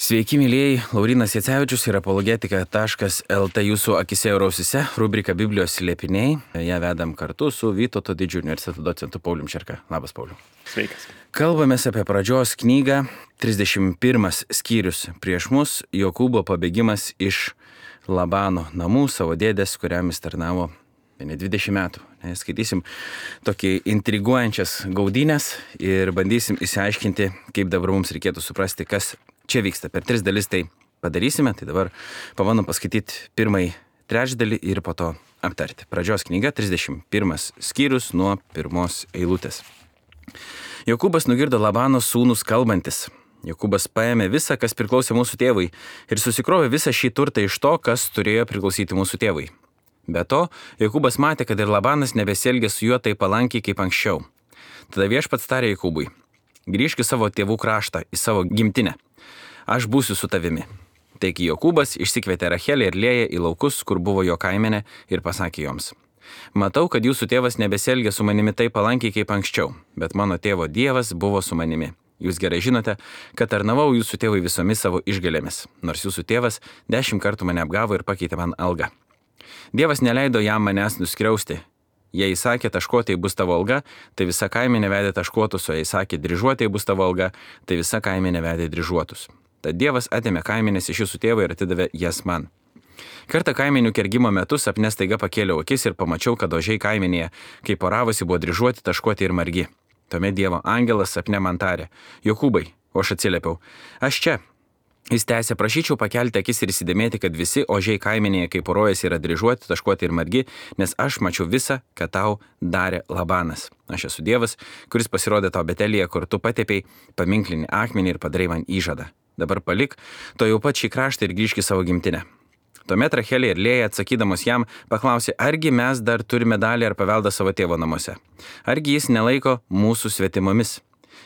Sveiki, mylėjai, Laurynas Jacevičius ir apologetika.lt jūsų akise ir ausise, rubrika Biblijos slėpiniai. Ją vedam kartu su Vytauto Didžiojo universiteto docentu Paulium Čerka. Labas, Pauliu. Sveikas. Kalbamės apie pradžios knygą, 31 skyrius prieš mus, Jokūbo pabėgimas iš Labano namų savo dėdės, kuriam jis tarnavo 20 metų. Skaitysim tokį intriguojančias gaudynės ir bandysim išsiaiškinti, kaip dabar mums reikėtų suprasti, kas čia vyksta. Per 3 dalis tai padarysime, tai dabar pabandom paskaityti pirmąjį trečdalį ir po to aptarti. Pradžios knyga, 31 skyrius nuo 1 eilutės. Jokūbas nugirdo Labano sūnus kalbantis. Jokūbas paėmė visą, kas priklausė mūsų tėvui ir susikrovė visą šį turtą iš to, kas turėjo priklausyti mūsų tėvui. Be to, Jokūbas matė, kad ir Labanas nebesielgė su juo taip palankiai kaip anksčiau. Tada viešpats tarė Jokūbui: grįžk į savo tėvų kraštą, į savo gimtinę. Aš būsiu su tavimi. Taigi Jokūbas išsikvietė Rachelę ir Lėją į laukus, kur buvo jo kaimenė, ir pasakė joms: matau, kad jūsų tėvas nebesielgia su manimi taip palankiai kaip anksčiau, bet mano tėvo Dievas buvo su manimi. Jūs gerai žinote, kad tarnavau jūsų tėvui visomis savo išgalėmis, nors jūsų tėvas 10 kartų mane apgavo ir pakeitė man algą. Dievas neleido jam manęs nuskriausti. Jei įsakė taškuotai bus tavo alga, tai visa kaimenė vedė taškuotus, o jei įsakė dryžuotai bus tavo alga, tai visa kaimenė vedė dryžuotus. Tad Dievas atėmė kaimenės iš jūsų tėvo ir atidavė jas man. Kartą kaimenių kergimo metu sapne staiga pakėliau akis ir pamačiau, kad ožiai kaimenėje, kai poravosi, buvo dryžuoti, taškuoti ir margi. Tuomet Dievo angelas sapne man tarė: Jokūbai, o aš atsiliepiau: aš čia. Jis tęsė: prašyčiau pakelti akis ir įsidėmėti, kad visi ožiai kaimenėje, kaip porojasi, yra dryžuoti, taškuoti ir margi, nes aš mačiau visą, ką tau darė Labanas. Aš esu Dievas, kuris pasirodė tau Betelyje, kur tu patepei paminklinį akmenį ir padarai man įžadą. Dabar palik to jau pat šį kraštą ir grįžk į savo gimtinę. Tuomet Rachelė ir Lėja, atsakydamos jam, paklausė: argi mes dar turime dalį ar paveldą savo tėvo namuose? Argi jis nelaiko mūsų svetimomis?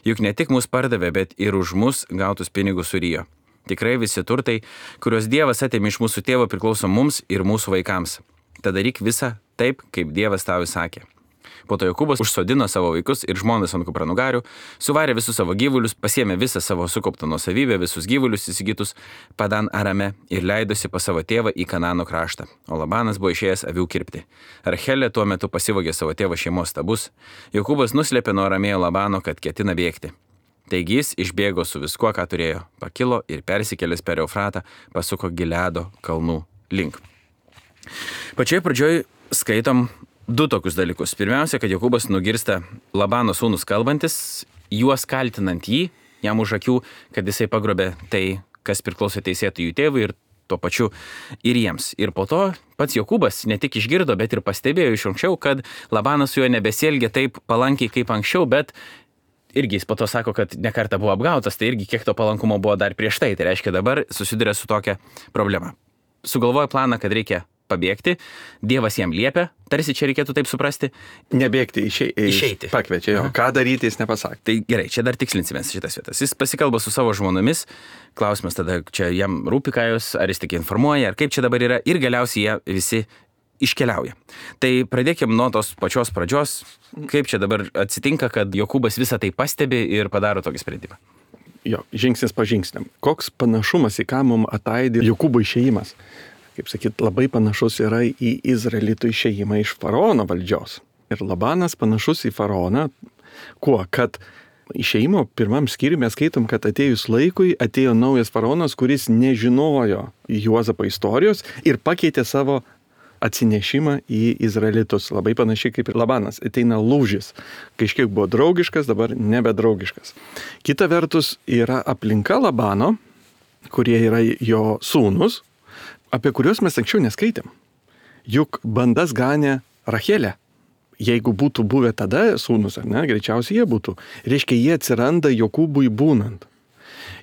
Juk ne tik mus pardavė, bet ir už mus gautus pinigus surijo. Tikrai visi turtai, kuriuos Dievas atėmė iš mūsų tėvo, priklauso mums ir mūsų vaikams. Tad daryk visą taip, kaip Dievas tau įsakė. Po to Jokūbas užsodino savo vaikus ir žmonas ant kupranugarių, suvarė visus savo gyvulius, pasiėmė visą savo sukauptą nuosavybę, visus gyvulius įsigytus Padan Arame ir leidosi pas savo tėvą į Kanano kraštą. O Labanas buvo išėjęs avių kirpti. Rachelė tuo metu pasivogė savo tėvo šeimos stabus. Jokūbas nuslėpė nuo Aramėjo Labano, kad ketina bėgti. Taigi jis išbėgo su viskuo, ką turėjo, pakilo ir persikėlęs per Eufratą pasuko Gileado kalnų link. Pačioje pradžioje skaitom 2 tokius dalykus. Pirmiausia, kad Jokūbas nugirsta Labano sūnus kalbantis, juos kaltinant jį, jam už akių, kad jisai pagrobė tai, kas priklauso teisėtų jų tėvui ir tuo pačiu ir jiems. Ir po to pats Jokūbas ne tik išgirdo, bet ir pastebėjo iš anksčiau, kad Labanas su juo nebesielgia taip palankiai kaip anksčiau, bet irgi jis po to sako, kad ne kartą buvo apgautas, tai irgi kiek to palankumo buvo dar prieš tai. Tai reiškia, dabar susiduria su tokia problema. Sugalvoja planą, kad reikia pabėgti, Dievas jam liepia, tarsi čia reikėtų taip suprasti. Nebėgti, išeiti. Pakviečia jo. Ką daryti, jis nepasakė. Tai gerai, čia dar tikslinsimės šitas vietas. Jis pasikalba su savo žmonomis, klausimas tada, čia jam rūpi ką jos, ar jis tik informuoja, ar kaip čia dabar yra, ir galiausiai jie visi iškeliauja. Tai pradėkime nuo tos pačios pradžios, kaip čia dabar atsitinka, kad Jokūbas visą tai pastebi ir padaro tokį sprendimą. Jo, žingsnis po žingsniam. Koks panašumas, į ką mums ataidė Jokūbo išėjimas? Kaip sakyt, labai panašus yra į Izraelitų išėjimą iš faraono valdžios. Ir Labanas panašus į faraoną, kuo? Kad išėjimo 1 skyriuje mes skaitom, kad atėjus laikui atėjo naujas faraonas, kuris nežinojo Juozapo istorijos ir pakeitė savo atsinešimą į Izraelitus. Labai panašiai kaip ir Labanas. Ateina lūžis. Kažkiek buvo draugiškas, dabar nebedraugiškas. Kita vertus yra aplinka Labano, kurie yra jo sūnus, apie kuriuos mes anksčiau neskaitėm. Juk bandas ganė Rachelę. Jeigu būtų buvę tada sūnus, ar ne, greičiausiai jie būtų. Reiškia, jie atsiranda Jokūbui būnant.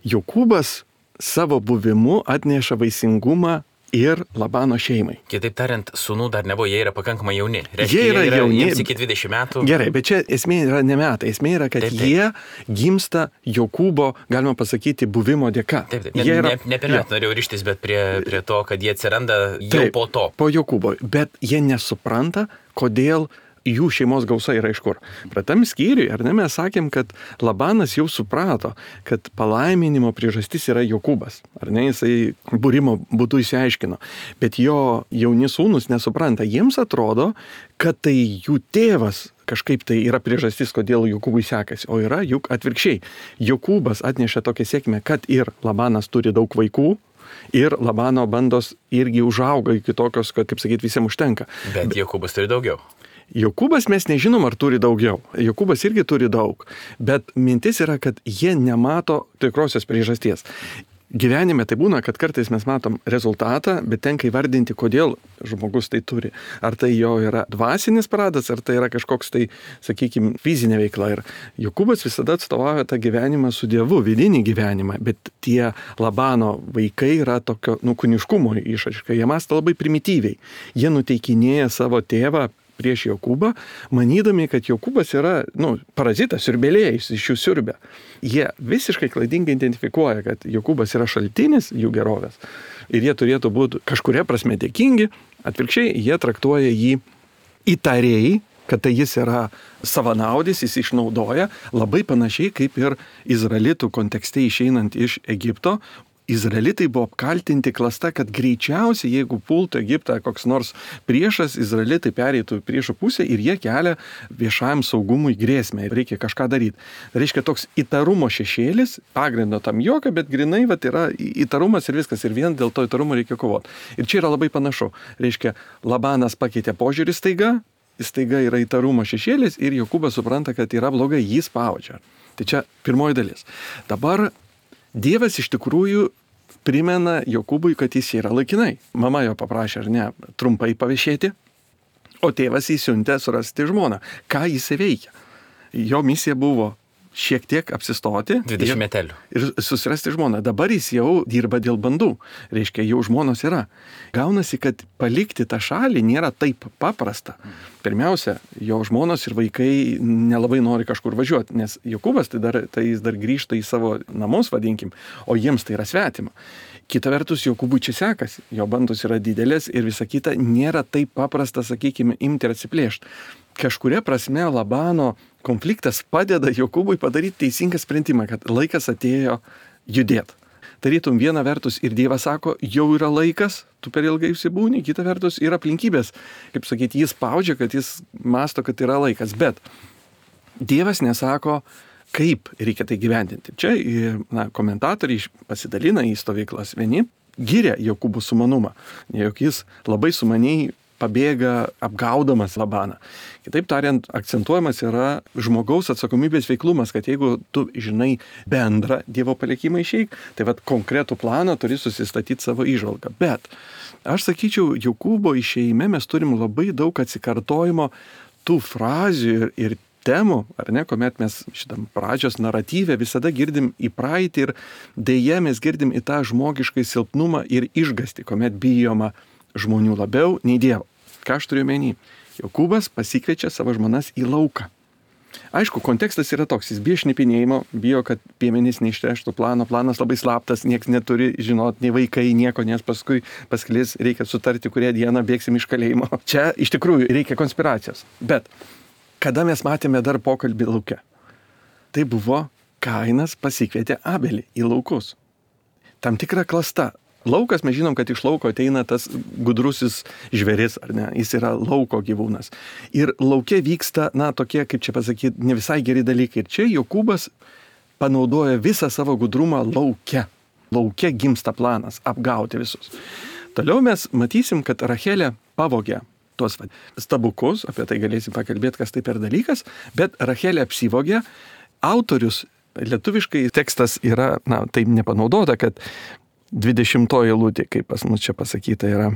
Jokūbas savo buvimu atneša vaisingumą ir Labano šeimai. Kitaip tariant, sūnų dar nebuvo, jie yra pakankamai jauni. Reiškia, jie yra jauni. Jiems iki 20 metų. Gerai, bet čia esmė yra ne metai. Esmė yra, kad taip. Jie gimsta Jokūbo, galima pasakyti, buvimo dėka. Taip. Ne per metų norėjau ryštis, bet prie to, kad jie atsiranda jau taip, po to. Po Jokūbo. Bet jie nesupranta, kodėl jų šeimos gausa yra iš kur. Pratam skyriui, ar ne, mes sakėm, kad Labanas jau suprato, kad palaiminimo priežastis yra Jokūbas. Ar ne, jisai būrimo būdu išsiaiškino. Bet jo jauni sūnus nesupranta. Jiems atrodo, kad tai jų tėvas kažkaip tai yra priežastis, kodėl Jokūbui sekasi, o yra juk atvirkščiai. Jokūbas atnešė tokią sėkmę, kad ir Labanas turi daug vaikų, ir Labano bandos irgi užauga iki tokios, kad, kaip sakyti, visiems užtenka. Bet Jokūbas turi daugiau. Jokūbas mes nežinom, ar turi daugiau. Jokūbas irgi turi daug. Bet mintis yra, kad jie nemato tikrosios priežasties. Gyvenime tai būna, kad kartais mes matom rezultatą, bet tenka įvardinti, kodėl žmogus tai turi. Ar tai jo yra dvasinis pradas, ar tai yra kažkoks tai, sakykime, fizinė veikla. Ir Jokūbas visada atstovauja tą gyvenimą su Dievu, vidinį gyvenimą, bet tie Labano vaikai yra tokio kūniškumo išraiška. Jie mąsto labai primityviai. Jie nuteikinėja savo tėvą prieš Jokūbą, manydami, kad Jokūbas yra, parazitas, siurbėlėjus, iš jų siurbė. Jie visiškai klaidingai identifikuoja, kad Jokūbas yra šaltinis jų gerovės ir jie turėtų būti kažkuria prasme dėkingi, atvirkščiai jie traktuoja jį įtariai, kad tai jis yra savanaudis, jis išnaudoja, labai panašiai kaip ir izraelitų kontekste išeinant iš Egipto. Izraelitai buvo apkaltinti klasta, kad greičiausiai, jeigu pultų Egiptą koks nors priešas, izraelitai pereitų priešo pusę ir jie kelia viešajam saugumui grėsmę. Reikia kažką daryti. Tai reiškia toks įtarumo šešėlis, pagrindo tam jokio, bet grinai yra įtarumas ir viskas. Ir vien dėl to įtarumo reikia kovoti. Ir čia yra labai panašu. Reiškia, Labanas pakeitė požiūrį staiga yra įtarumo šešėlis ir Jokūbas supranta, kad yra blogai, jį spaudžia. Tai čia pirmoji dalis. Dabar Dievas iš tikrųjų primena Jokūbui, kad jis yra laikinai. Mama jo paprašė, ar ne, trumpai pavešėti, o tėvas įsiuntė surasti žmoną. Ką jis veikia? Jo misija buvo šiek tiek apsistoti 20 metelių ir susirasti žmoną. Dabar jis jau dirba dėl bandų. Reiškia, jau žmonos yra. Gaunasi, kad palikti tą šalį nėra taip paprasta. Pirmiausia, jo žmonos ir vaikai nelabai nori kažkur važiuoti, nes Jokūbas tai jis dar grįžta į savo namus, vadinkim, o jiems tai yra svetima. Kita vertus, Jokūbui čia sekasi, jo bandos yra didelės ir visa kita nėra taip paprasta, sakykime, imti ir atsiplėšti. Kažkuria prasme Labano konfliktas padeda Jokūbui padaryti teisingą sprendimą, kad laikas atėjo judėti. Tarytum viena vertus ir Dievas sako, jau yra laikas, tu per ilgai užsibūni, kita vertus yra aplinkybės. Kaip sakyti, jis spaudžia, kad jis masto, kad yra laikas, bet Dievas nesako, kaip reikia tai gyvendinti. Čia komentatoriai pasidalina į stovyklas. Vieni giria Jokūbo sumanumą, jog jis labai sumaniai pabėga apgaudamas Labaną. Kitaip tariant, akcentuojamas yra žmogaus atsakomybės veiklumas, kad jeigu tu žinai bendrą Dievo palikimą išeik, tai konkretų planą turi susistatyti savo įžvalgą. Bet aš sakyčiau, Jokūbo išėjime mes turim labai daug atsikartojimo tų frazių ir temų, ar ne, kuomet mes šitam pradžios naratyve visada girdim į praeitį ir deja mes girdim į tą žmogiškai silpnumą ir išgąstį, kuomet bijoma žmonių labiau nei Dievo. Ką aš turiu omeny? Jokūbas pasikviečia savo žmonas į lauką. Aišku, kontekstas yra toks, jis bijo šnipinėjimo, bijo, kad piemenys neištreštų plano, planas labai slaptas, nieks neturi žinot, nei vaikai, nieko, nes paskui pasklis, reikia sutarti, kurią dieną bėgsim iš kalėjimo. Čia iš tikrųjų reikia konspiracijos. Bet kada mes matėme dar pokalbį lauke? Tai buvo Kainas pasikvietė Abelį į laukus. Tam tikra klasta. Laukas, mes žinom, kad iš lauko ateina tas gudrusis žvėris, ar ne, jis yra lauko gyvūnas. Ir lauke vyksta, tokie, kaip čia pasakyti, ne visai geri dalykai. Ir čia Jokūbas panaudoja visą savo gudrumą lauke. Lauke gimsta planas apgauti visus. Toliau mes matysim, kad Rachelė pavogė tuos stabukus, apie tai galėsim pakalbėti, kas tai per dalykas, bet Rachelė apsivogė. Autorius, lietuviškai tekstas yra, taip nepanaudota, kad 20 eilutė, kaip pas mus čia pasakyta yra.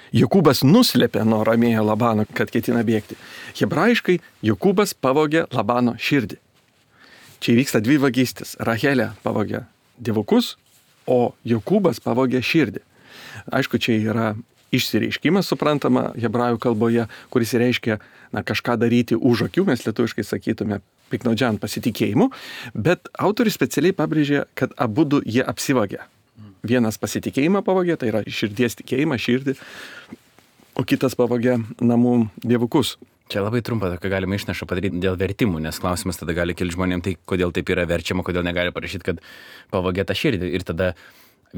Jokūbas nuslėpė nuo ramėjo Labano, kad ketina bėgti. Hebrajiškai Jokūbas pavogė Labano širdį. Čia vyksta dvi vagystės. Rachelė pavogė dievukus, o Jokūbas pavogė širdį. Aišku, čia yra išsireiškimas, suprantama, hebrajų kalboje, kuris reiškia kažką daryti už akių, mes lietuviškai sakytume piknaudžiant pasitikėjimu, bet autorius specialiai pabrėžė, kad abudu jie apsivogė. Vienas pasitikėjimą pavogė, tai yra širdies tikėjimą, širdį, o kitas pavogė namų dievukus. Čia labai trumpą tokią galima išnašą padaryti dėl vertimų, nes klausimas tada gali kilti žmonėms, tai kodėl taip yra verčiama, kodėl negali parašyti, kad pavogė tą širdį. Ir tada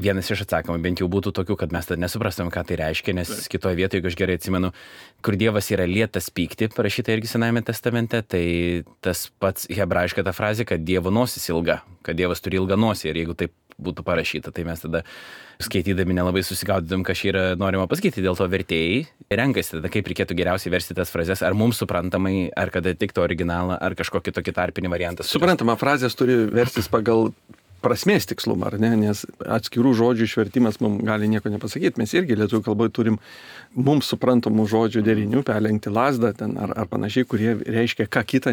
vienas iš atsakymų bent jau būtų tokių, kad mes tada nesuprastum, ką tai reiškia, nes kitoje vietoje, jeigu aš gerai atsimenu, kur Dievas yra lėtas pykti, parašyta irgi Senajame testamente, tai tas pats hebrajiška ta frazė, kad Dievo nosis ilga, kad Dievas turi ilgą nosį ir jeigu taip būtų parašyta, tai mes tada skaitydami nelabai susigaudytum, ką čia yra norima pasakyti, dėl to vertėjai renkasi tada, kaip reikėtų geriausiai versti tas frazes, ar mums suprantamai, ar kad atitiktų originalą, ar kažkokį tokį tarpinį variantą. Suprantama, frazės turi verstis pagal prasmės tikslumą, ar ne, nes atskirų žodžių išvertimas mums gali nieko nepasakyti. Mes irgi lietuvių kalboje turim mums suprantamų žodžių derinių, perlenkti lazdą ten, ar panašiai, kurie reiškia ką kitą,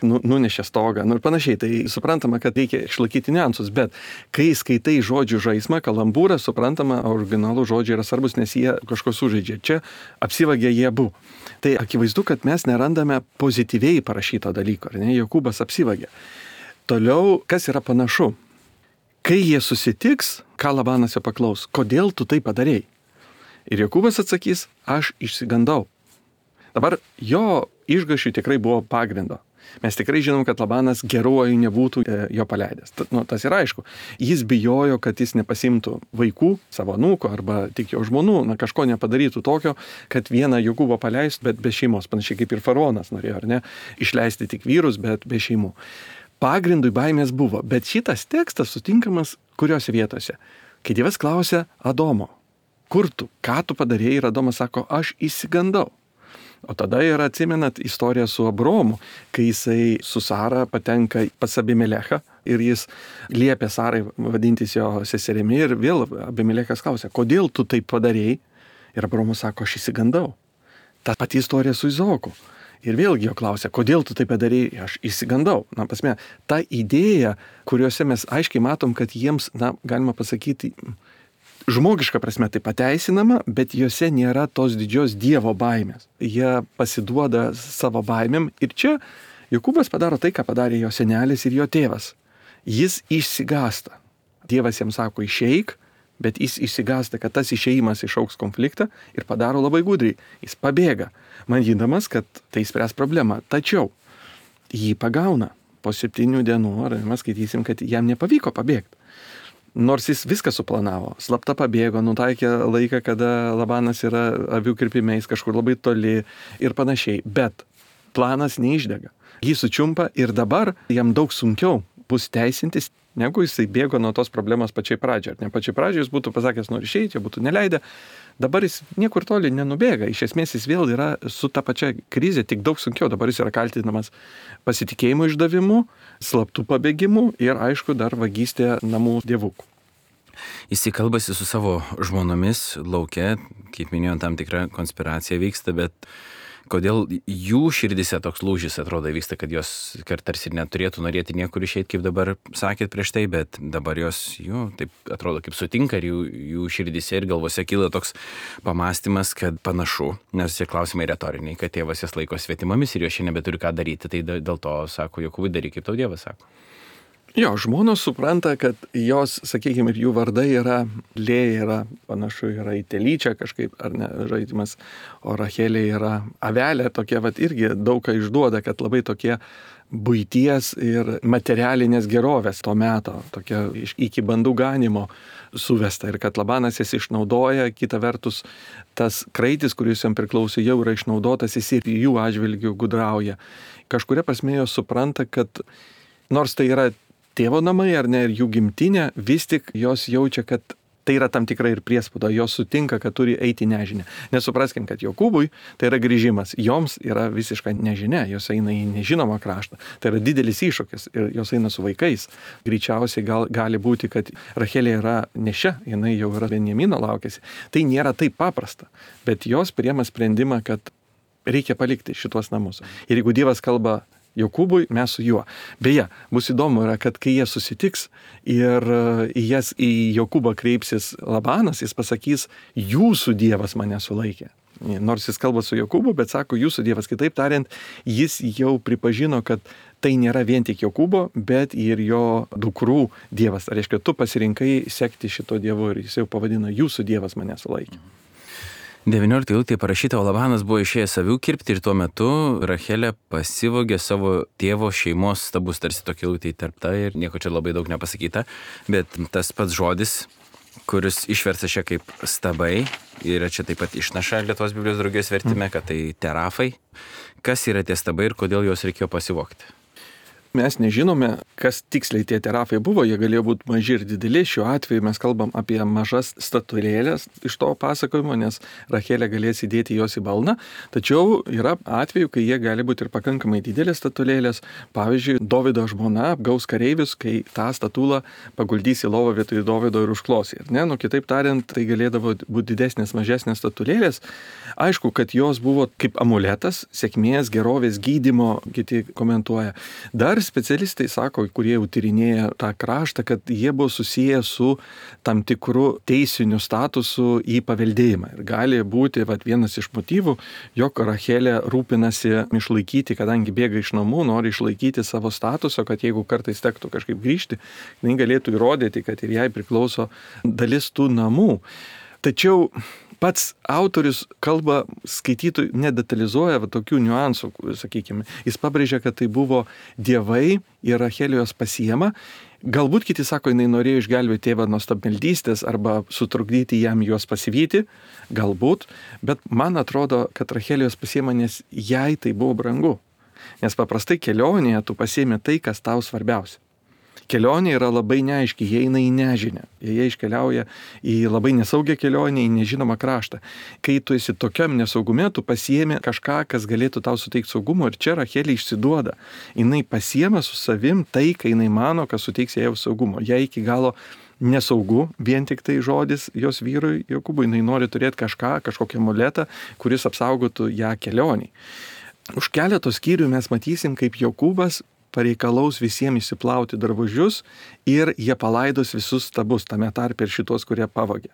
nunešė stogą, ir panašiai. Tai suprantama, kad reikia išlaikyti niuansus, bet kai skaitai žodžių žaismą, kalambūrą, suprantama, originalų žodžiai yra svarbus, nes jie kažko sužaidžia. Čia apsivagė jie abu. Tai akivaizdu, kad mes nerandame pozityviai parašyto dalyko, ar ne, Jokūbas apsivagė. Toliau, kas yra panašu? Kai jie susitiks, ką Labanas jo paklaus, kodėl tu tai padarėjai? Ir Jokūbas atsakys, aš išsigandau. Dabar jo išgąsčiui tikrai buvo pagrindo. Mes tikrai žinom, kad Labanas geruoju nebūtų jo paleidęs. Tas yra aišku. Jis bijojo, kad jis nepasimtų vaikų, savo anūko arba tik jo žmonų, kažko nepadarytų tokio, kad vieną Jokūbą paleistų, bet be šeimos. Panašiai kaip ir faraonas norėjo, ar ne? Išleisti tik vyrus, bet be šeimų. Pagrindui baimės buvo, bet šitas tekstas sutinkamas kuriuose vietose. Kai Dievas klausia Adomo, kur tu, ką tu padarėjai, ir Adomas sako, aš išsigandau. O tada yra, atsimenat, istorija su Abraomu, kai jisai su Sara patenka pas Abimelechą ir jis liepia Sarai vadintis jo seserimi ir vėl Abimelechas klausia, kodėl tu taip padarėjai? Ir Abraomas sako, aš išsigandau. Ta pati istorija su Izaoku. Ir vėlgi jo klausia, kodėl tu tai padarėjai, aš išsigandau. Pasme, ta idėja, kuriuose mes aiškiai matom, kad jiems, galima pasakyti, žmogiška prasme tai pateisinama, bet juose nėra tos didžios Dievo baimės. Jie pasiduoda savo baimėm ir čia Jokūbas padaro tai, ką padarė jo senelis ir jo tėvas. Jis išsigąsta. Dievas jam sako, išeik, bet jis išsigąsta, kad tas išėjimas išaugs konfliktą ir padaro labai gudriai. Jis pabėga, manydamas, kad tai spręs problemą. Tačiau jį pagauna po 7 dienų, ar mes skaitysim, kad jam nepavyko pabėgti. Nors jis viską suplanavo, slapta pabėgo, nutaikė laiką, kada Labanas yra avių kirpimais kažkur labai toli ir panašiai. Bet planas neišdega. Jį sučiumpa ir dabar jam daug sunkiau bus teisintis, negu jisai bėgo nuo tos problemos pačiai pradžiai. Ar ne pačiai pradžiai jis būtų pasakęs, nori išeiti, čia būtų neleidę. Dabar jis niekur toli nenubėga. Iš esmės jis vėl yra su ta pačia krize, tik daug sunkiau. Dabar jis yra kaltinamas pasitikėjimo išdavimu, slaptų pabėgimu ir, aišku, dar vagystė namų dievukų. Jis kalbasi su savo žmonomis lauke, kaip minėjau, tam tikra konspiracija vyksta, bet kodėl jų širdise toks lūžis atrodo vyksta, kad jos tarsi ir neturėtų norėti niekur išeiti, kaip dabar sakėt prieš tai, bet dabar jos taip atrodo kaip sutinka ir jų širdise ir galvose kyla toks pamastymas, kad panašu, nes šie klausimai retoriniai, kad tėvas jas laiko svetimomis ir jos šiandien nebeturi ką daryti, tai dėl to sako, Jokūbai, daryk, kaip tau Dievas sako. Jo, žmonos supranta, kad jos, sakykime, ir jų vardai yra, Lėja yra, panašu yra į telyčią kažkaip, ar ne, žaidimas, o Rachelė yra avelė, tokia, irgi daug ką išduoda, kad labai tokie buities ir materialinės gerovės to meto, tokia iki bandų ganimo suvesta ir kad Labanas jas išnaudoja, kita vertus tas kraitis, kuris jam priklausė, jau yra išnaudotas, jis ir jų atžvilgių gudrauja. Kažkuria prasme jos supranta, kad nors tai yra tėvo namai ar ne ir jų gimtinė, vis tik jos jaučia, kad tai yra tam tikra ir priespauda, jos sutinka, kad turi eiti nežinia. Nesupraskim, kad Jokūbui tai yra grįžimas, joms yra visiška nežinia, jos eina į nežinomą kraštą. Tai yra didelis iššūkis ir jos eina su vaikais. Greičiausiai gali būti, kad Rachelė yra nešia, jinai jau yra Benjamino laukėsi. Tai nėra taip paprasta, bet jos priema sprendimą, kad reikia palikti šitos namus. Ir jeigu Dievas kalba Jokūbui, mes su juo. Beje, bus įdomu yra, kad kai jie susitiks ir į Jokūbą kreipsis Labanas, jis pasakys, jūsų Dievas mane sulaikė. Nors jis kalba su Jokūbu, bet sako, jūsų Dievas. Kitaip tariant, jis jau pripažino, kad tai nėra vien tik Jokūbo, bet ir jo dukrų Dievas. Tai reiškia, tu pasirinkai sekti šito Dievu ir jis jau pavadina, jūsų Dievas mane sulaikė. 19 eilutėje parašyta, o Labanas buvo išėjęs avių kirpti ir tuo metu Rachelė pasivogė savo tėvo šeimos stabus, tarsi tokia eilutė įterpta ir nieko čia labai daug nepasakyta, bet tas pats žodis, kuris išversta čia kaip stabai, yra čia taip pat išnaša Lietuvos Biblijos draugijos vertime, kad tai terafai. Kas yra tie stabai ir kodėl juos reikėjo pasivogti? Mes nežinome, kas tiksliai tie terafai buvo, jie galėjo būti maži ir dideli. Šiuo atveju mes kalbam apie mažas statulėlės iš to pasakojimo, nes Rachelė galės įdėti jos į balną. Tačiau yra atveju, kai jie gali būti ir pakankamai didelės statulėlės. Pavyzdžiui, Dovydo žmona apgaus kareivius, kai tą statulą paguldys į lovą vietoj Dovydo ir užklos. Kitaip tariant, tai galėdavo būti didesnės, mažesnės statulėlės. Aišku, kad jos buvo kaip amuletas, sėkmės, gerovės, gydymo, kiti komentuoja. Dar specialistai sako, kurie jau tyrinėja tą kraštą, kad jie buvo susiję su tam tikru teisiniu statusu į paveldėjimą. Ir gali būti vienas iš motyvų, jog Rachelė rūpinasi išlaikyti, kadangi bėga iš namų, nori išlaikyti savo statusą, kad jeigu kartais tektų kažkaip grįžti, jinai galėtų įrodyti, kad ir jai priklauso dalis tų namų. Tačiau pats autorius kalba skaitytojų nedetalizuoja tokių niuansų, sakykime. Jis pabrėžia, kad tai buvo dievai ir Rachelė juos pasiema. Galbūt kiti sako, jinai norėjo išgelbėti tėvą nuo stabmeldystės arba sutrukdyti jam juos pasivyti. Galbūt. Bet man atrodo, kad Rachelė juos pasiema, nes jai tai buvo brangu. Nes paprastai kelionėje tu pasiemi tai, kas tau svarbiausia. Kelionė yra labai neaiški, jie eina į nežinę. Jie iškeliauja į labai nesaugią kelionę, į nežinomą kraštą. Kai tu esi tokiam nesaugume, tu pasiemi kažką, kas galėtų tau suteikti saugumo. Ir čia Rachelė išsiduoda. Jinai pasiema su savim tai, kai jinai mano, kas suteiks jai saugumo. Jai iki galo nesaugu, vien tik tai žodis jos vyrui Jokūbui. Jinai nori turėti kažkokią amuletą, kuris apsaugotų ją kelioniai. Už keletos skyrių mes matysim, kaip Jokūbas pareikalaus visiems įsiplauti drabužius ir jie palaidos visus stabus, tame tarpe ir šitos, kurie pavogė.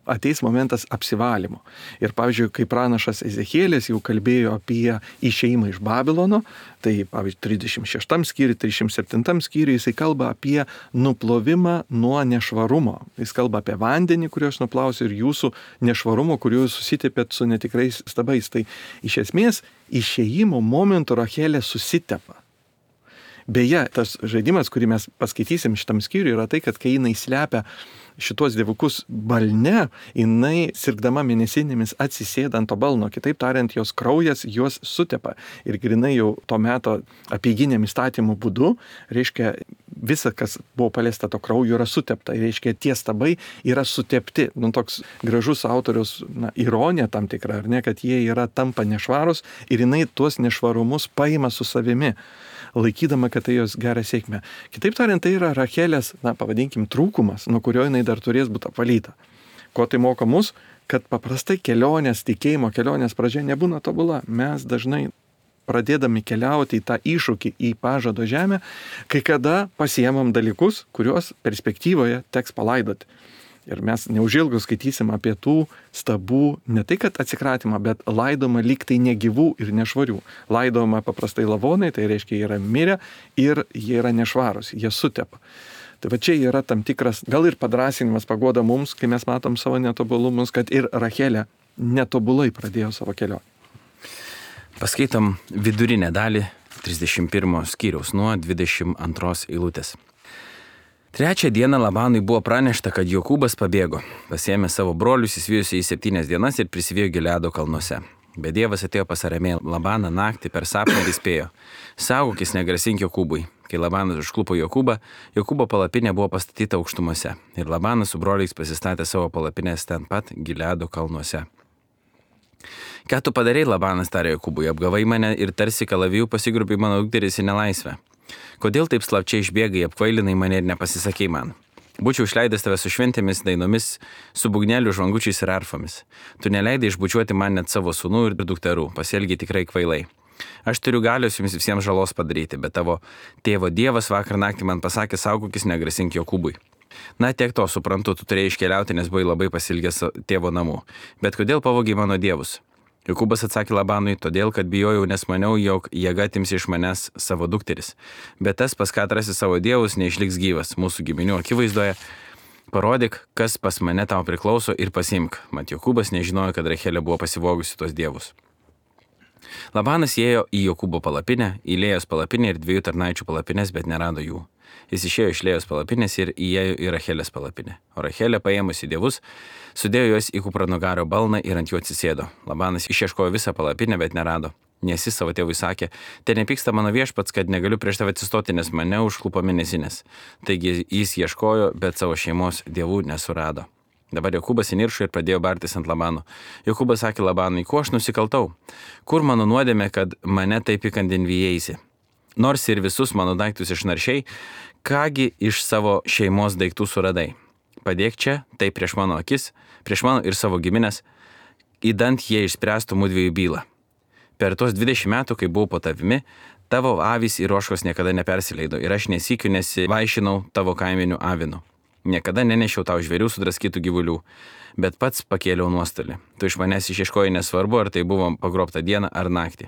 Ateis momentas apsivalymo. Ir pavyzdžiui, kai pranašas Ezechielis jau kalbėjo apie išėjimą iš Babilono, tai pavyzdžiui 36 skyriui, 37 skyriui jisai kalba apie nuplovimą nuo nešvarumo. Jis kalba apie vandenį, kuriuos nuplaus ir jūsų nešvarumo, kuriuos susitepėt su netikrais stabais. Tai iš esmės išėjimo momentu Rachelė susitepa. Beje, tas žaidimas, kurį mes paskaitysim šitam skyriui, yra tai, kad kai jinai slepia šitos dievukus balne, jinai sirgdama mėnesinėmis atsisėda ant to balno. Kitaip tariant, jos kraujas juos sutepa. Ir grinai jau to meto apeiginiam įstatymų būdu, reiškia, visa, kas buvo paliesta to krauju, yra sutepta. Ir reiškia, tie stabai yra sutepti. Toks gražus autorius ironija tam tikra, ar ne, kad jie tampa nešvarus ir jinai tuos nešvarumus paima su savimi, laikydama, kad tai jos gerą sėkmę. Kitaip tariant, tai yra Rachelės, pavadinkim, trūkumas, nuo kurio jinai dar turės būti apvalyta. Ko tai moko mus, kad paprastai kelionės, tikėjimo kelionės pradžia nebūna tobula. Mes dažnai pradėdami keliauti į tą iššūkį, į pažado žemę, kai kada pasiemam dalykus, kuriuos perspektyvoje teks palaidoti. Ir mes neužilgo skaitysim apie tų stabų ne tai, kad atsikratymą, bet laidoma lyg tai negyvų ir nešvarių. Laidoma paprastai lavonai, tai reiškia yra mirę ir jie yra nešvarūs, jie sutepa. Tai čia yra tam tikras, gal ir padrasinimas paguoda mums, kai mes matom savo netobulumus, kad ir Rachelė netobulai pradėjo savo kelionę. Paskaitom vidurinę dalį 31 skyriaus nuo 22 eilutės. Trečią dieną Labanui buvo pranešta, kad Jokūbas pabėgo. Pasiėmė savo brolius, įsivijusi į 7 dienas ir prisivijo Gileado kalnuose. Bet Dievas atėjo pas Aramėją Labaną naktį per sapną ir įspėjo: saugokis, negrasink Jokūbui. Kai Labanas užklupo Jokūbą, Jokūbo palapinė buvo pastatyta aukštumose. Ir Labanas su broliais pasistatė savo palapinės ten pat Gileado kalnuose. Ką tu padarei, Labanas tarė Jokūbui, apgavai mane ir tarsi kalavijų pasigrubai mano dukteris į nelaisvę. Kodėl taip slapčiai išbėgai, apkvailinai mane ir nepasisakei man? Būčiau išleidęs tave su šventėmis dainomis, su būgnelių žvangučiais ir arfomis. Tu neleidai išbučiuoti man net savo sūnų ir dukterų, pasielgiai tikrai kvailai. Aš turiu galios jums visiems žalos padaryti, bet tavo tėvo Dievas vakar naktį man pasakė, saugokis, negrasink Jokūbui. Na, tiek to suprantu, tu turėjai iškeliauti, nes buvai labai pasilgęs tėvo namų. Bet kodėl pavogiai mano dievus? Jokūbas atsakė Labanui, todėl, kad bijojau, nes maniau, jog jėga atims iš manęs savo dukteris. Bet tas, pas ką atrasi savo dievus, neišliks gyvas mūsų giminių akivaizdoje. parodyk, kas pas mane tau priklauso ir pasiimk. Mat Jokūbas nežinojo, kad Rachelė buvo pasivogusi tuos dievus. Labanas įėjo į Jokūbo palapinę, į Lėjos palapinę ir 2 tarnaičių palapinės, bet nerado jų. Jis išėjo iš Lėjos palapinės ir įėjo į Rachelės palapinę. O Rachelė, paėmusi dievus, sudėjo juos į kupranugario balną ir ant jų atsisėdo. Labanas išieškojo visą palapinę, bet nerado. Nes jis savo tėvui sakė, te nepyksta mano viešpats, kad negaliu prieš tave atsistoti, nes mane užklupo mėnesinės. Taigi jis ieškojo, bet savo šeimos dievų nesurado. Dabar Jokūbas įniršo ir pradėjo bartis ant Labano. Jokūbas sakė Labanui, kuo aš nusikaltau? Kur mano nuodėmė, kad mane taip įkandin vijėsi? Nors ir visus mano daiktus išnaršiai, kągi iš savo šeimos daiktų suradai? Padėk čia, tai prieš mano akis, prieš mano ir savo giminės, įdant jie išspręstų mudviejų bylą. Per tos 20 metų, kai buvau po tavimi, tavo avys ir ožkos niekada nepersileido ir aš nesykiu nesivaišinau tavo kaiminių avinų. Niekada nenešiau tau žvėrių sudraskytų gyvulių, bet pats pakėliau nuostolį. Tu iš manęs išieškoji nesvarbu, ar tai buvo pagrobta diena ar naktį.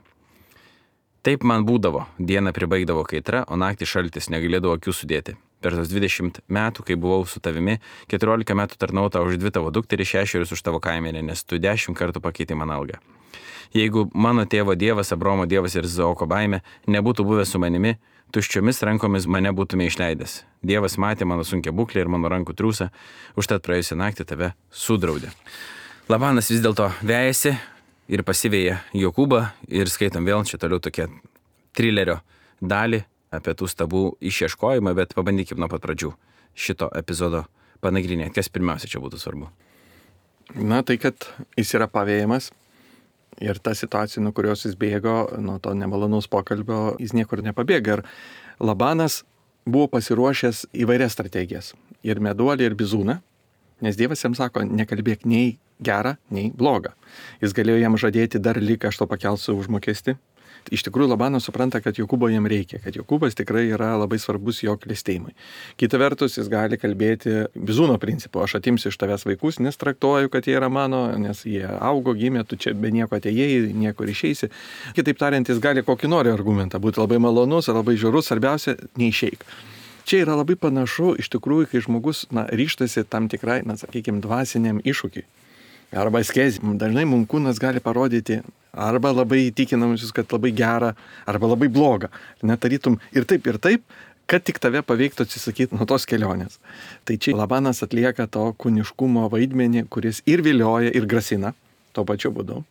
Taip man būdavo, dieną pribaigdavo kaitra, o naktį šaltis, negalėdavo akių sudėti. Per tos 20 metų, kai buvau su tavimi, 14 metų tarnau tau už 2 tavo dukterį, 6 už tavo kaimenę, nes tu 10 kartų pakeitei man algą. Jeigu mano tėvo dievas, Abraomo dievas ir Izaoko baimė nebūtų buvęs su manimi, tuščiomis rankomis mane būtume išleidęs. Dievas matė mano sunkią būklę ir mano rankų triūsą, užtat praėjusią naktį tave sudraudė. Labanas vis dėlto vejasi ir pasivėja Jokūbą ir skaitom vėl čia toliau tokia trilerio dalį apie tų stabų išieškojimą, bet pabandykim nuo pat pradžių šito epizodo panagrinėti. Kas pirmiausia čia būtų svarbu? Na, tai kad jis yra pavėjimas ir ta situacija, nuo kurios jis bėgo, nuo to nemalonaus pokalbio, jis niekur nepabėga. Ir Labanas buvo pasiruošęs įvairias strategijas. Ir meduolį, ir bizūną. Nes Dievas jam sako, nekalbėk nei gerą, nei blogą. Jis galėjo jam žadėti dar lyg aš to pakelsiu užmokestį. Iš tikrųjų Labanas supranta, kad Jokūbo jam reikia, kad Jokūbas tikrai yra labai svarbus jo klestėjimui. Kita vertus, jis gali kalbėti bizūno principu, aš atimsiu iš tavęs vaikus, nes traktuoju, kad jie yra mano, nes jie augo, gimė, tu čia be nieko atėjai, niekur išeisi. Kitaip tariant, jis gali kokį nori argumentą, būti labai malonus ar labai žiaurus, svarbiausia, neišeik. Čia yra labai panašu, iš tikrųjų, kai žmogus ryštasi tam tikrai, sakykime, dvasiniam iššūkiui. Arba askezė. Dažnai mums kūnas gali parodyti arba labai įtikinamusius, kad labai gera, arba labai bloga. Netarytum ir taip, kad tik tave paveiktų atsisakyti nuo tos kelionės. Tai čia Labanas atlieka to kūniškumo vaidmenį, kuris ir vilioja, ir grasina tuo pačiu būdu.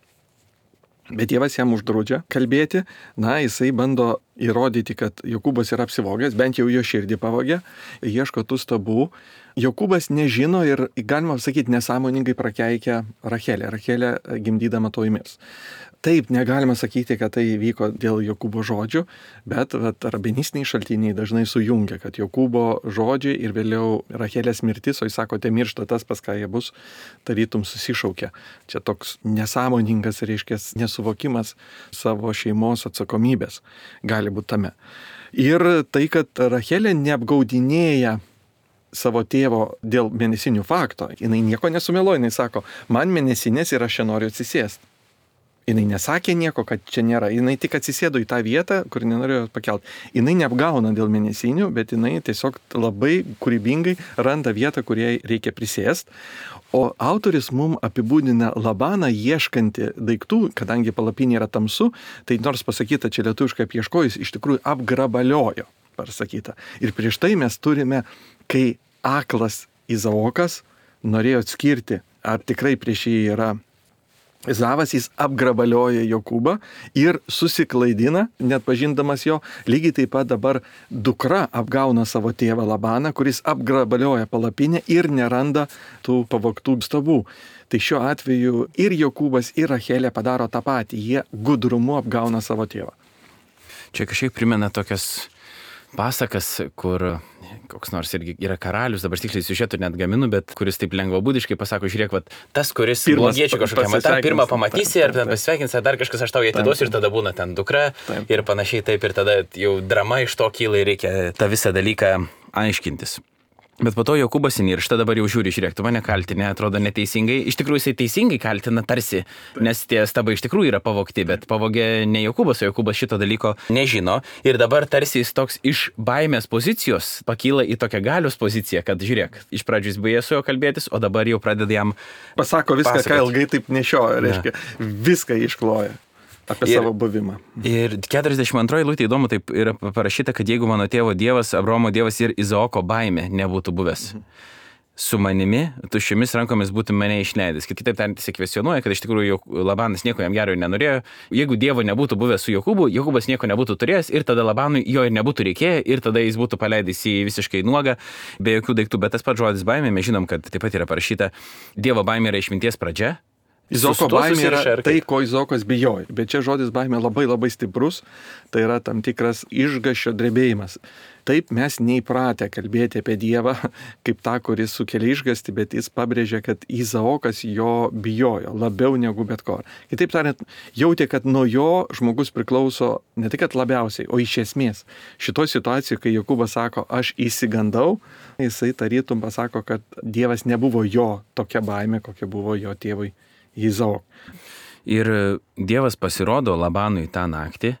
Bet Dievas jam uždraudžia kalbėti, jisai bando įrodyti, kad Jokūbas yra apsivogęs, bent jau jo širdį pavogė, ieško tų stabų. Jokūbas nežino ir, galima sakyti, nesąmoningai prakeikia Rachelę. Rachelė gimdydama to įmirs. Taip, negalima sakyti, kad tai vyko dėl Jokūbo žodžių, bet rabinistiniai šaltiniai dažnai sujungia, kad Jokūbo žodžiai ir vėliau Rachelės mirtis, o jis sako, te miršta tas, pas ką jie bus, tarytum susišaukia. Čia toks nesąmoningas, reiškia, nesuvokimas savo šeimos atsakomybės gali būti tame. Ir tai, kad Rachelė neapgaudinėja savo tėvo dėl mėnesinių fakto, jinai nieko nesumeluoja, jinai sako, man mėnesinės ir aš čia noriu atsisėsti. Jinai nesakė nieko, kad čia nėra. Jinai tik atsisėdo į tą vietą, kur nenorėjo pakelti. Jinai neapgauna dėl mėnesinių, bet jinai tiesiog labai kūrybingai randa vietą, kur jai reikia prisėsti. O autoris mums apibūdina Labaną ieškantį daiktų, kadangi palapinė yra tamsu, tai nors pasakyta čia lietuviškai apieškojus, iš tikrųjų apgrabaliojo, pasakyta. Ir prieš tai mes turime, kai aklas Izaokas norėjo atskirti, ar tikrai prieš jį yra Ezavas, jis apgrabalioja Jokūbą ir susiklaidina, net pažindamas jo. Lygiai taip pat dabar dukra apgauna savo tėvą Labaną, kuris apgrabalioja palapinę ir neranda tų pavogtų stabų. Tai šiuo atveju ir Jokūbas, ir Rachelė padaro tą patį. Jie gudrumu apgauna savo tėvą. Čia kažkiek primena tokias pasakas, kur koks nors irgi yra karalius, dabar tiksliai siužetų net gaminu, bet kuris taip lengvabūdiškai pasako, žiūrėk, tas, kuris blogiečių kažkokiam, tą pirmą pamatysi, ar pasveikins, ar dar kažkas aš tau atiduosiu ir tada būna ten dukra ir panašiai taip, ir tada jau drama iš to kyla ir reikia tą visą dalyką aiškintis. Bet po to Jokūbas įniršta, dabar jau žiūrėk, tu mane kaltinė, atrodo neteisingai. Iš tikrųjų jisai teisingai kaltina tarsi, nes tie stabai iš tikrųjų yra pavogti, bet pavogė ne Jokūbas, o Jokūbas šito dalyko nežino. Ir dabar tarsi jis toks iš baimės pozicijos pakyla į tokią galios poziciją, kad žiūrėk, iš pradžių jis baigė su juo kalbėtis, o dabar jau pradeda jam pasako viską, ką ilgai taip nešioja, reiškia, viską iškloja. Apie savo buvimą. Ir 42 eilutė įdomu, taip yra parašyta, kad jeigu mano tėvo Dievas, Abraomo Dievas ir Izaoko baimė nebūtų buvęs su manimi, tuščiomis rankomis būtų mane išleidęs. Kitaip tariant, jis kvestionuoja, kad iš tikrųjų Labanas nieko jam gero nenorėjo. Jeigu Dievo nebūtų buvęs su Jokūbu, Jokūbas nieko nebūtų turėjęs ir tada Labanui jo ir nebūtų reikėję ir tada jis būtų paleidęs į visiškai nuogą, be jokių daiktų. Bet tas pats žodis baimė, mes žinom, kad taip pat yra parašyta, Dievo baimė yra išminties pradžia. Izaoko baimė yra tai, ko Izaokas bijojo. Bet čia žodis baimė labai labai stiprus, tai yra tam tikras išgąsčio drebėjimas. Taip mes neįpratę kalbėti apie Dievą kaip tą, kuris sukelia išgąstį, bet jis pabrėžia, kad Izaokas jo bijojo labiau negu bet ko. Kitaip tariant, jautė, kad nuo jo žmogus priklauso ne tik labiausiai, o iš esmės. Šitoje situacijoje, kai Jokūbas sako, aš įsigandau, jisai tarytum pasako, kad Dievas nebuvo jo tokia baimė, kokia buvo jo tėvui Izaokui. Ir Dievas pasirodo Labanui tą naktį.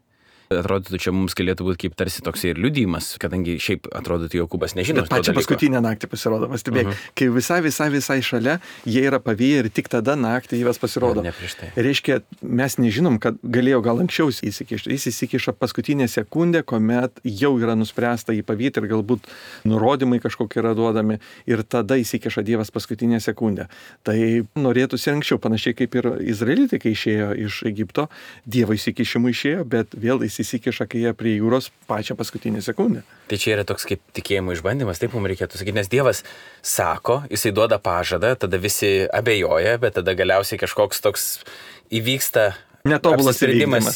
Atrodytų, čia mums galėtų būti kaip tarsi toks ir liudijimas, kadangi šiaip atrodytų Jokūbas nežino. Bet pačią paskutinę naktį pasirodo, pastebėk, kai visai šalia, jie yra pavyję ir tik tada naktį Dievas pasirodo. Ne prieš tai. Reiškia, mes nežinom, kad galėjo gal anksčiau įsikišti. Jis įsikiša paskutinę sekundę, kuomet jau yra nuspręsta jį pavyti ir galbūt nurodymai kažkokie yra duodami ir tada įsikiša Dievas paskutinę sekundę. Tai norėtųsi anksčiau, panašiai kaip ir izraelitai, kai išėjo iš Egipto, Dievo įsikišimų išėjo, bet vėl įsikiša, kai jie prie jūros pačią paskutinę sekundę. Tai čia yra toks kaip tikėjimo išbandymas, taip mums reikėtų sakyti, nes Dievas sako, jisai duoda pažadą, tada visi abejoja, bet tada galiausiai kažkoks toks įvyksta netobulas apsisprendimas.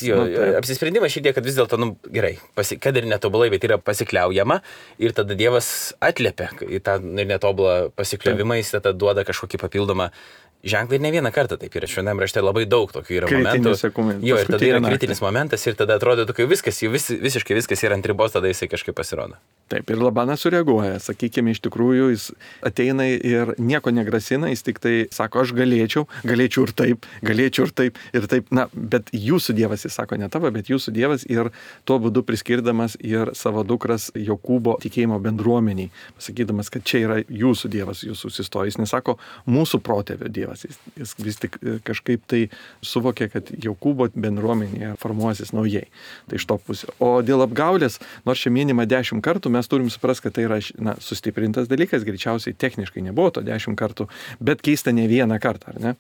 Apsisprendimas šitie, kad vis dėlto, gerai, kad ir netobulai, bet yra pasikliaujama ir tada Dievas atliepia į tą netobulą pasikliavimą, jis tada duoda kažkokį papildomą ženklą ir ne vieną kartą taip yra. Šventam rašte labai daug tokių yra momentų. Jo, ir tada yra kritinis momentas ir tada atrodo, kai viskas, visiškai viskas yra ant ribos, tada jisai kažkaip pasirodo. Taip, ir Labanas sureaguoja. Sakykime, iš tikrųjų, jis ateina ir nieko negrasina, jis tik tai sako, aš galėčiau ir taip. Na, bet jūsų Dievas, jis sako, ne tavo, bet jūsų Dievas ir tuo būdu priskirdamas ir savo dukras Jokūbo tikėjimo bendruomeniai, pasakydamas, kad čia yra jūsų Dievas, jūsų susistojęs. Nesako mūsų protėvio Dievas. Jis vis tik kažkaip tai suvokė, kad Jokūbo bendruomenėje formuosis naujai. Tai iš to pusė. O dėl apgaulės, nors čia minima 10 kartų, mes turim suprasti, kad tai yra sustiprintas dalykas, greičiausiai techniškai nebuvo to 10 kartų, bet keista ne vieną kartą, ar ne?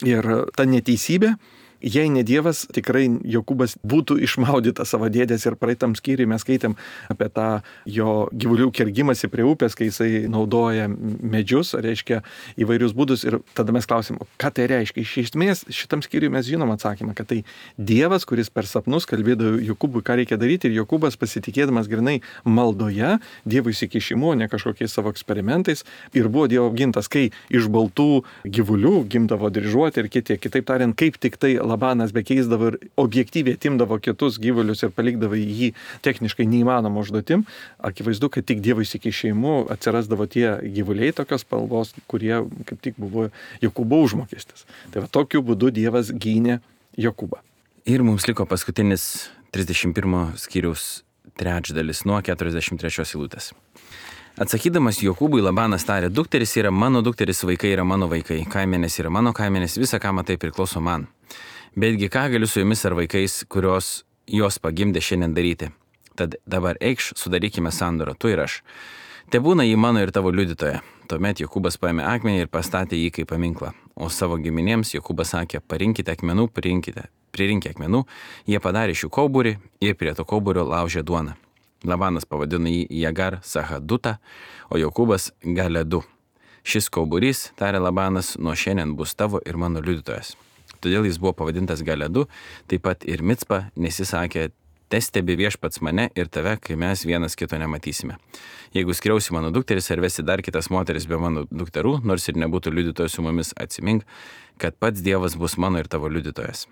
Ir ta neteisybė, jei ne Dievas, tikrai Jokūbas būtų išmaudytas savo dėdės ir praeitam skyriui mes skaitėm apie tą jo gyvulių kergimąsi prie upės, kai jisai naudoja medžius, reiškia įvairius būdus ir tada mes klausim, ką tai reiškia. Iš esmės šitam skyriui mes žinom atsakymą, kad tai Dievas, kuris per sapnus kalbėdavo Jokūbui, ką reikia daryti ir Jokūbas pasitikėdamas grinai maldoje, Dievo įsikišimu, ne kažkokiais savo eksperimentais ir buvo Dievo apgintas, kai iš baltų gyvulių gimdavo dryžuoti ir kitaip tariant, kaip tik tai Labanas bekeisdavo ir objektyviai atimdavo kitus gyvulius ir palikdavo jį techniškai neįmanomą užduotim, akivaizdu, kad tik Dievo įsikišimu atsirasdavo tie gyvuliai tokios spalvos, kurie kaip tik buvo Jokūbo užmokestis. Tai va tokiu būdu Dievas gynė Jokūbą. Ir mums liko paskutinis 31 skyriaus trečdalis nuo 43 eilutės. Atsakydamas Jokūbui, Labanas tarė, dukteris yra mano dukteris, vaikai yra mano vaikai, kaimenės yra mano kaimenės, visa ką matai priklauso man. Betgi ką galiu su jumis ar vaikais, kurios jos pagimdė šiandien daryti? Tad dabar eikš, sudarykime sandorą, tu ir aš. Tebūna jį mano ir tavo liudytoja. Tuomet Jokūbas paėmė akmenį ir pastatė jį kaip paminklą. O savo giminėms Jokūbas sakė, parinkite akmenų, pririnkite akmenų. Jie padarė šių kauburį ir prie to kauburio laužė duoną. Labanas pavadino jį Jagar Sahadutą, o Jokūbas Galedu. Šis kauburys, tarė Labanas, nuo šiandien bus tavo ir mano liudytojas. Todėl jis buvo pavadintas Galedu, taip pat ir Micpa, nes jis sakė, testebi viešpats mane ir tave, kai mes vienas kito nematysime. Jeigu skriausi mano dukteris ar vesi dar kitas moteris be mano dukterų, nors ir nebūtų liudytojas su mumis, atsimink, kad pats Dievas bus mano ir tavo liudytojas.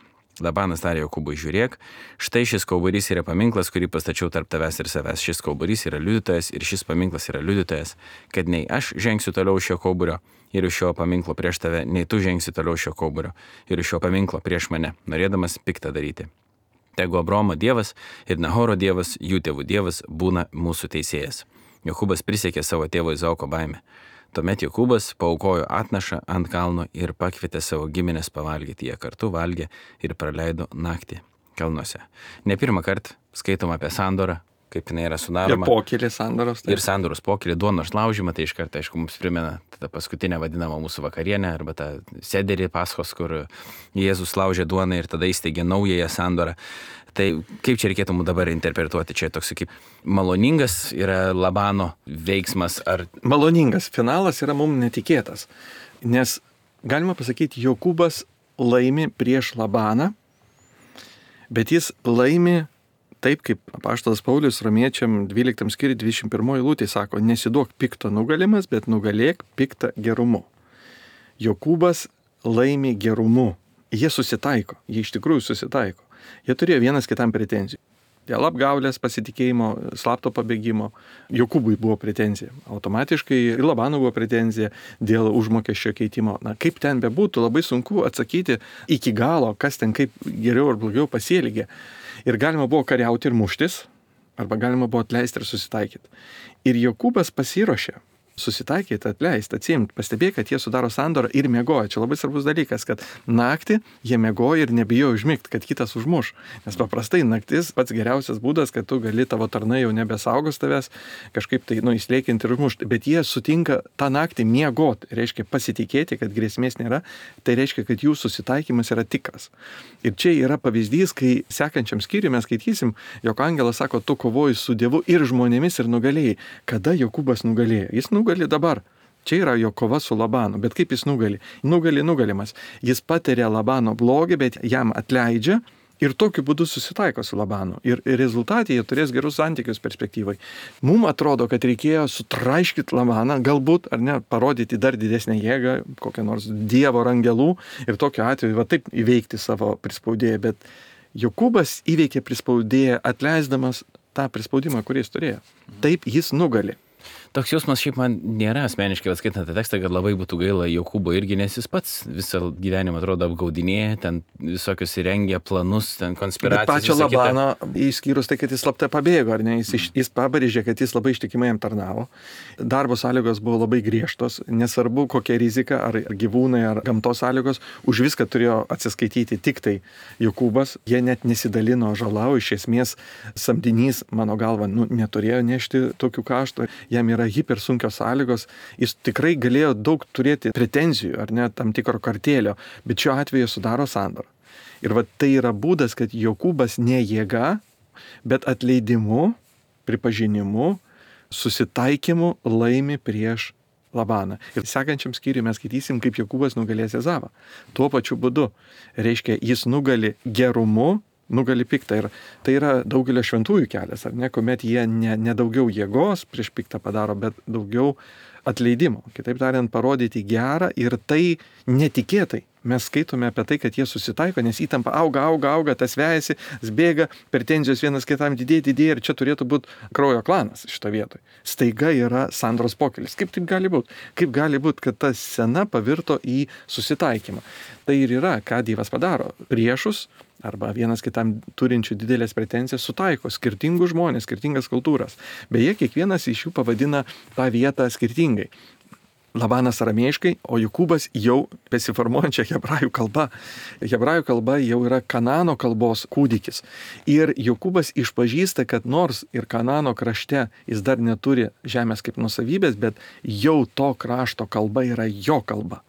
Labanas tarė Jokūbui, žiūrėk, štai šis kauburys yra paminklas, kurį pastačiau tarp tavęs ir savęs. Šis kauburys yra liudytojas ir šis paminklas yra liudytojas, kad nei aš žengsiu toliau šio kauburio ir iš šio paminklo prieš tave, nei tu žengsi toliau šio kauburio ir iš šio paminklo prieš mane, norėdamas piktą daryti. Tegu Abraomo Dievas ir Nahoro Dievas, jų tėvų Dievas, būna mūsų teisėjas. Jokūbas prisiekė savo tėvo Izaoko baimę. Tuomet Jokūbas paaukojo atnašą ant kalno ir pakvietė savo giminės pavalgyti. Jie kartu valgė ir praleido naktį kalnuose. Ne pirmą kartą skaitom apie sandorą, kaip jinai yra sudaroma. Ir pokylį sandoros. Ir sandoros pokylį, duonos laužymą, tai iš karto, aišku, mums primena tą paskutinę vadinamą mūsų vakarienę arba tą sederį Paschos, kur Jėzus laužė duoną ir tada įsteigė naująją sandorą. Tai kaip čia reikėtų mums dabar interpretuoti? Čia toks kaip maloningas yra Labano veiksmas ar... Maloningas. Finalas yra mums netikėtas. Nes galima pasakyti, Jokūbas laimi prieš Labaną, bet jis laimi taip, kaip apaštalas Paulius Romiečiam 12 skyriui 21 eilutė sako, nesiduok pikto nugalimas, bet nugalėk piktą gerumu. Jokūbas laimi gerumu. Jie susitaiko, jie iš tikrųjų susitaiko. Jie turėjo vienas kitam pretenzijų. Dėl apgaulės, pasitikėjimo, slapto pabėgimo Jokūbui buvo pretenzija. Automatiškai ir Labanui buvo pretenzija dėl užmokesčio keitimo. Na, kaip ten bebūtų, labai sunku atsakyti iki galo, kas ten kaip geriau ar blogiau pasielgė. Ir galima buvo kariauti ir muštis, arba galima buvo atleisti ir susitaikyti. Ir Jokūbas pasiruošė susitaikyti, atleisti, atsimti, pastebėjo, kad jie sudaro sandorą ir miegojo. Čia labai svarbus dalykas, kad naktį jie miegojo ir nebijojo užmigti, kad kitas užmuš. Nes paprastai naktis pats geriausias būdas, kad tu gali, tavo tarnai jau nebesaugos tavęs, kažkaip tai įslėkinti ir užmušti. Bet jie sutinka tą naktį miegoti, reiškia pasitikėti, kad grėsmės nėra, tai reiškia, kad jų susitaikymas yra tikras. Ir čia yra pavyzdys, kai sekančiam skyriui mes skaitysim, jog angelas sako, tu kovoji su Dievu ir žmonėmis ir nugalėjai. Kada Jokūbas nugalėjo? Jis nugali dabar. Čia yra jo kova su Labanu. Bet kaip jis nugali? Nugalimas. Jis patiria Labano blogį, bet jam atleidžia ir tokiu būdu susitaiko su Labanu. Ir rezultatai jie turės gerus santykius perspektyvai. Mums atrodo, kad reikėjo sutraiškyti Labaną, galbūt, ar ne, parodyti dar didesnę jėgą, kokią nors Dievo ar angelų ir tokiu atveju va taip įveikti savo prispaudėją. Bet Jokūbas įveikė prispaudėją, atleisdamas tą prispaudimą, kurį jis turėjo. Taip jis nugali. Toks jausmas šiaip man nėra asmeniškai, skaitant tą tekstą, kad labai būtų gaila Jokūbo irgi, nes jis pats visą gyvenimą atrodo apgaudinėja, ten visokius įrengia planus, ten konspiracijas. Bet pačio Labano, išskyrus tai, kad jis slapta pabėgo, ar ne, jis pabrėžė, kad jis labai ištikimai jam tarnavo. Darbo sąlygos buvo labai griežtos, nesvarbu kokia rizika, ar gyvūnai, ar gamtos sąlygos, už viską turėjo atsiskaityti tik tai Jokūbas. Jie net nesidalino žalau, iš esmės samdinys, mano galva, neturėjo nešti tokių kaštų. Jam yra hipersunkios sąlygos, jis tikrai galėjo daug turėti pretenzijų ar net tam tikro kartėlio, bet šiuo atveju sudaro sandorą. Ir va tai yra būdas, kad Jokūbas ne jėga, bet atleidimu, pripažinimu, susitaikymu laimi prieš Labaną. Ir sekančiam skyriui mes skaitysim, kaip Jokūbas nugalės Ezavą. Tuo pačiu būdu. Reiškia, jis nugali gerumu, nugali piktą. Ir tai yra daugelio šventųjų kelias, ar ne, kuomet jie ne daugiau jėgos prieš piktą padaro, bet daugiau atleidimo. Kitaip tariant, parodyti gerą ir tai netikėtai. Mes skaitome apie tai, kad jie susitaiko, nes įtampa auga, tas vejasi, bėga, pretenzijos vienas kitam didėja ir čia turėtų būti kraujo klanas šito vietoj. Staiga yra sandoros pokylis. Kaip taip gali būti? Kaip gali būti, kad ta scena pavirto į susitaikymą? Tai ir yra, ką Dievas padaro. Priešus arba vienas kitam turinčių didelės pretenzijas sutaiko skirtingus žmonės, skirtingas kultūras. Beje, kiekvienas iš jų pavadina tą vietą skirtingai. Labanas aramėjiškai, o Jokūbas jau besiformuojančia hebrajų kalba. Hebrajų kalba jau yra Kanano kalbos kūdikis. Ir Jokūbas išpažįsta, kad nors ir Kanano krašte jis dar neturi žemės kaip nusavybės, bet jau to krašto kalba yra jo kalba.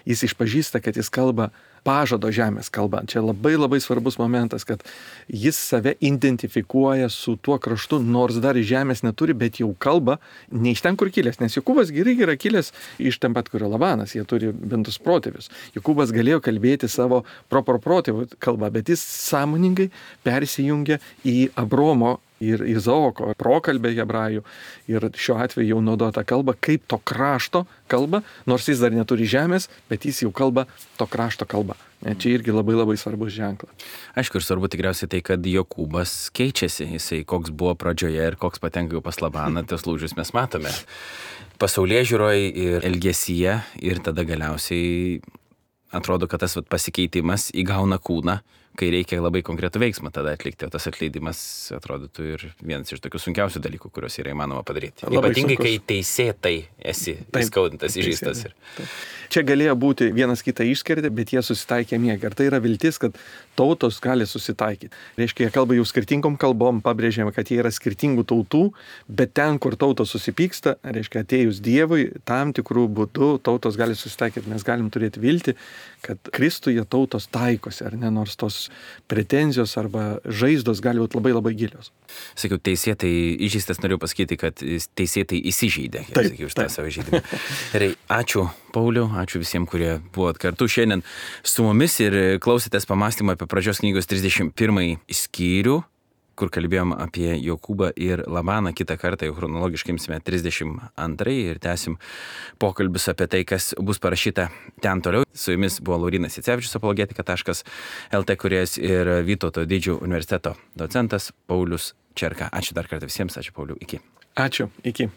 Jis išpažįsta, kad jis kalba pažado žemės kalba. Čia labai labai svarbus momentas, kad jis save identifikuoja su tuo kraštu, nors dar žemės neturi, bet jau kalba ne iš ten, kur kilęs. Nes Jokūbas gerai yra kilęs iš ten pat, kur Labanas, jie turi bentus protėvius. Jokūbas galėjo kalbėti savo protėvių kalbą, bet jis sąmoningai persijungia į Abraomo ir Izaoko prokalbė hebrajų, ir šiuo atveju jau naudota kalba kaip to krašto kalba, nors jis dar neturi žemės, bet jis jau kalba to krašto kalba. Čia irgi labai labai svarbus ženklas. Aišku, ir svarbu tikriausiai tai, kad Jokūbas keičiasi. Jisai koks buvo pradžioje ir koks patenka jau pas Labaną, tos lūžius mes matome. Pasaulėžiūroje ir elgesyje, ir tada galiausiai atrodo, kad tas pasikeitimas įgauna kūną, kai reikia labai konkretų veiksmą tada atlikti, o tas atleidimas atrodytų ir vienas iš tokių sunkiausių dalykų, kuriuos yra įmanoma padaryti. Labai ypatingai, kai teisėtai esi įskaudintas, įžeistas. Čia galėjo būti vienas kitą išskirti, bet jie susitaikė miegą. Ir tai yra viltis, kad tautos gali susitaikyti. Reiškia, jie kalba jau skirtingom kalbom, pabrėžėme, kad jie yra skirtingų tautų, bet ten, kur tautos susipyksta, reiškia, atėjus Dievui, tam tikrų būdų tautos gali susitaikyti. Mes galim turėti viltį, kad Kristuje tautos taikosi, ar ne, nors tos pretenzijos arba žaizdos gali būti labai labai gilios. Sakiau, teisėtai įžeistas, noriu pasakyti, kad teisėtai įsižeidė, sakiau, už tą savo žaidimą. Gerai, ačiū Pauliau, ačiū visiems, kurie buvot kartu šiandien su mumis ir klausėtės pamąstymą apie pradžios knygos 31 skyrių, kur kalbėjom apie Jokūbą ir Labaną. Kitą kartą jau chronologiškai imsime 32 ir tęsim pokalbius apie tai, kas bus parašyta ten toliau. Su jumis buvo Laurynas Jacevičius, apologetika.lt kūrėjas, ir Vytauto Didžiojo universiteto docentas Paulius Čerka. Ačiū dar kartą visiems, ačiū Pauliau, iki. Ačiū, iki.